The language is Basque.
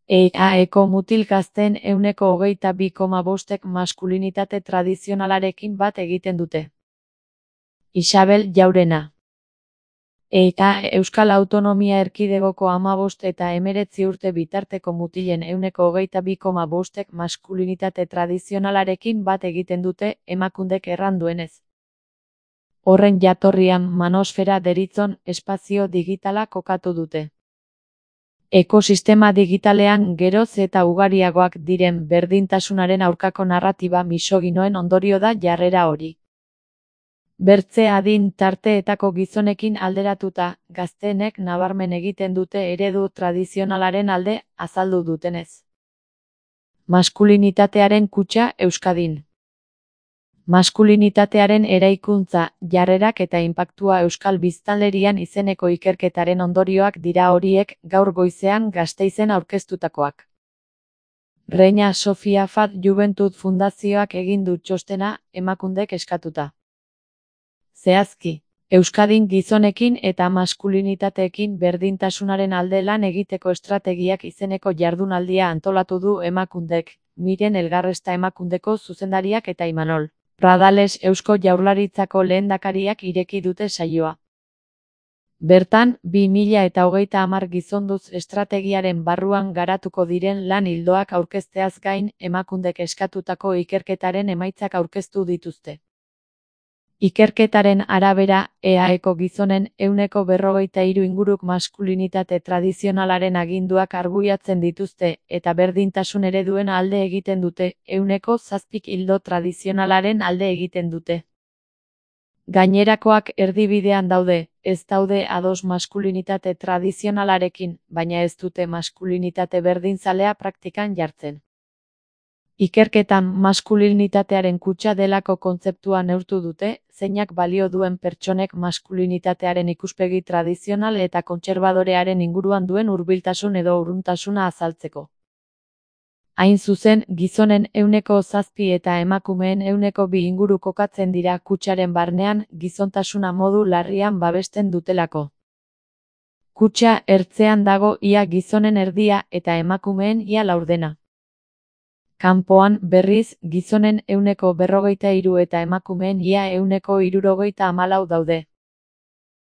EAEko mutil gazteen 22,5%ek maskulinitate tradizionalarekin bat egiten dute. Isabel Jaurena. Euskal Autonomia Erkidegoko 15 eta 19 urte bitarteko mutilen 22,5%ek maskulinitate tradizionalarekin bat egiten dute, emakundek erran duenez. Horren jatorrian manosfera deritzon espazio digitala kokatu dute. Ekosistema digitalean geroz eta ugariagoak diren berdintasunaren aurkako narratiba misoginoen ondorio da jarrera hori. Bertze adin tarteetako gizonekin alderatuta, gazteenek nabarmen egiten dute eredu tradizionalaren alde azaldu dutenez. Maskulinitatearen kutxa Euskadin. Maskulinitatearen eraikuntza, jarrerak eta inpaktua euskal biztanlerian izeneko ikerketaren ondorioak dira horiek, gaur goizean Gasteizen aurkeztutakoak. Reina Sofia Fat Juventud Fundazioak egin du txostena, emakundek eskatuta. Zehazki, Euskadin gizonekin eta maskulinitateekin berdintasunaren alde lan egiteko estrategiak izeneko jardunaldia antolatu du emakundek, Miren Elgarresta emakundeko zuzendariak eta Imanol Pradales Eusko Jaurlaritzako lehendakariak ireki dute saioa. Bertan, 2030 gizonduz estrategiaren barruan garatuko diren lan ildoak aurkezteaz gain, emakundek eskatutako ikerketaren emaitzak aurkeztu dituzte. Ikerketaren arabera, EAEko gizonen 43% inguruk maskulinitate tradizionalaren aginduak arbuiatzen dituzte, eta berdintasun ereduen alde egiten dute, 7% ildo tradizionalaren alde egiten dute. Gainerakoak erdibidean daude, ez daude ados maskulinitate tradizionalarekin, baina ez dute maskulinitate berdinzalea praktikan jartzen. Ikerketan maskulinitatearen kutxa delako kontzeptua neurtu dute, zeinak balio duen pertsonek maskulinitatearen ikuspegi tradizional eta kontserbadorearen inguruan duen hurbiltasun edo urruntasuna azaltzeko. Hain zuzen, gizonen 7% eta emakumeen 2% inguru kokatzen dira kutxaren barnean, gizontasuna modu larrian babesten dutelako. Kutxa ertzean dago ia gizonen erdia eta emakumeen ia laurdena. Kanpoan, berriz, gizonen 43% eta emakumeen ia 64% daude.